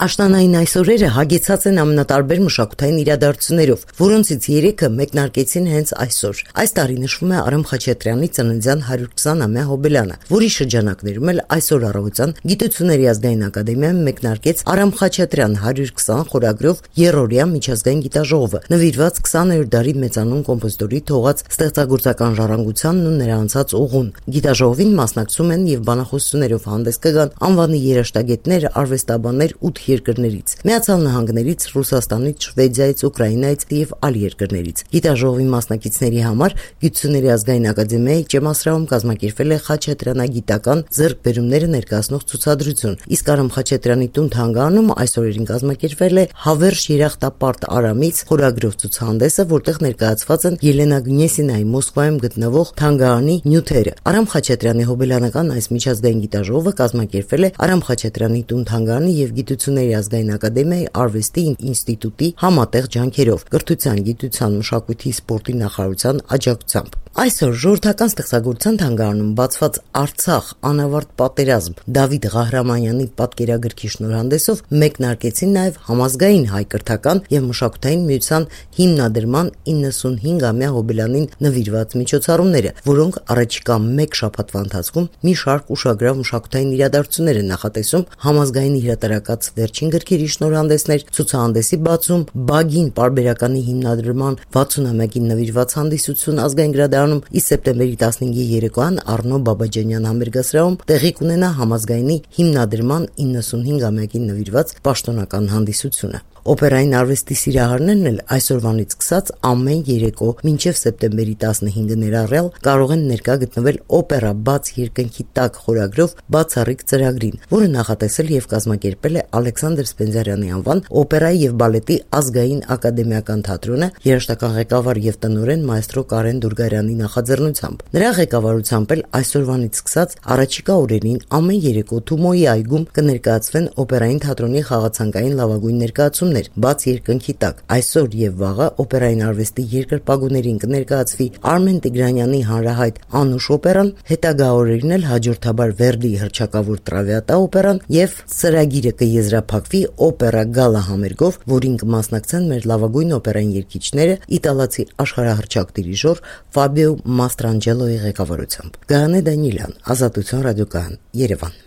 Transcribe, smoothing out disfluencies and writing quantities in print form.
Աշնանային այս օրերը հագեցած են ամենատարբեր մշակութային իրադարձություններով, որոնցից 3-ը մեկնարկեցին հենց այսօր։ Այս տարի նշվում է Արամ Խաչատրյանի ծննդյան 120-ամյա հոբելյանը, որի շրջանակներում էլ այսօր առավոտյան Գիտությունների ազգային ակադեմիայում մեկնարկեց Արամ Խաչատրյան 120 խորագրով երրորդյա միջազգային գիտաժողովը, նվիրված 20-րդ դարի մեծանուն կոմպոզիտորի թողած ստեղծագործական ժառանգությանն ու նրա անցած ուղուն։ Գիտաժողովին մասնակցում են եւ բանախոսություններով հանդես կգան անվանի երաժշտագետներ, արվեստաբաններ 8 երկրներից՝ Միացյալ Նահանգներից, Ռուսաստանից, Շվեդիայից, Ուկրաինայից եւ այլ երկրներից։ Գիտաժողովի մասնակիցների համար Գիտությունների ազգային ակադեմիայի ջեմասրահում կազմակերպվել է խաչատրյանագիտական ձեռքբերումները ներկայացնող ցուցադրություն, իսկ Արամ Խաչատրյանի տուն-թանգարանում այս օրերին կազմակերպվել է Հավերժ երախտապարտ Արամից խորագրով ցուցահանդեսը, որտեղ ներկայացված են Ելենա Գնեսինայի Մոսկվայում գտնվող թանգարանի նյութերը։ Արամ Խաչատրյանի հոբելյանական այս միջազգային գիտաժողովը կազմակերպվել է Արամ Խաչատրյանի տուն-թանգարանի եւ Գիտությունների ազգային ակադեմիայի արվեստի ինստիտուտի համատեղ ջանքերով, կրթության, գիտության, մշակույթի, սպորտի նախարարության աջակցությամբ։ Այսօր ժողովրդական ստեղծագործության թանգարանում բացված Արցախ անավարտ պատերազմ Դավիթ Ղահրամանյանի պատկերագրքի շնորհանդեսով մեկնարկեցին նաև համազգային հայ կրթական եւ մշակութային միության հիմնադրման 95-ամյա հոբելյանին նվիրված միջոցառումները, որոնք առաջիկա 1 շաբաթվա ընթացքում մի շարք ուշագրավ մշակութային իրադարձություններ են նախատեսում, համազգային հրատարակած վերջին գրքերի շնորհանդեսներ, ցուցահանդեսի բացում, Բագին պարբերականի հիմնադրման 60-ամյակին նվիրված հանդիսություն ազգային գրադարանում, իսկ սեպտեմբերի 15-ի երեկոյան Առնո Բաբաջանյան համերգասրահում տեղի կունենա համազգայինի հիմնադրման 95-ամյակին նվիրված պաշտոնական հանդիսությունը։ Օպերային արվեստի սիրահարներն էլ այսօրվանից սկսած ամեն երեկո մինչև սեպտեմբերի 15-ը ներառյալ կարող են ներկա գտնվել օպերա բաց երկնքի տակ խորագրով բացառիկ ծրագրին, որը նախատեսել եւ կազմակերպել է Ալեքսանդր Սպենդիարյանի անվան օպերայի եւ բալետի ազգային ակադեմիական թատրոնը երաժշտական ղեկավար եւ տնօրեն մայստրո Կարեն Դուրգարյանի նախաձեռնությամբ։ Նրա ղեկավարությամբ էլ այսօրվանից սկսած առաջիկա օրերին ամեն երեկո Թումոյի այգում կներկայացվեն օպերային թատրոնի խաղացանկային լավագույն ներկայացումներ բաց երկնքի տակ։ Այսօր եւ վաղը օպերային արվեստի երկրպագուներին կներկայացվի Արմեն Տիգրանյանի հանրահայտ Անուշ օպերան, հետագա օրերին էլ հաջորդաբար Վերդիի հռչակավոր Տրավիատա օպերան եւ ծրագիրը կեզրափակվի օպերա գալա համերգով, որին կմասնակցեն մեր լավագույն օպերային երգիչները իտալացի աշխարհահռչակ դիրիժոր Ֆաբիո Մաստրանջելոյի ղեկավարությամբ։ Գայանե Դանիելյան, Ազատություն ռադիոկայան, Երևան։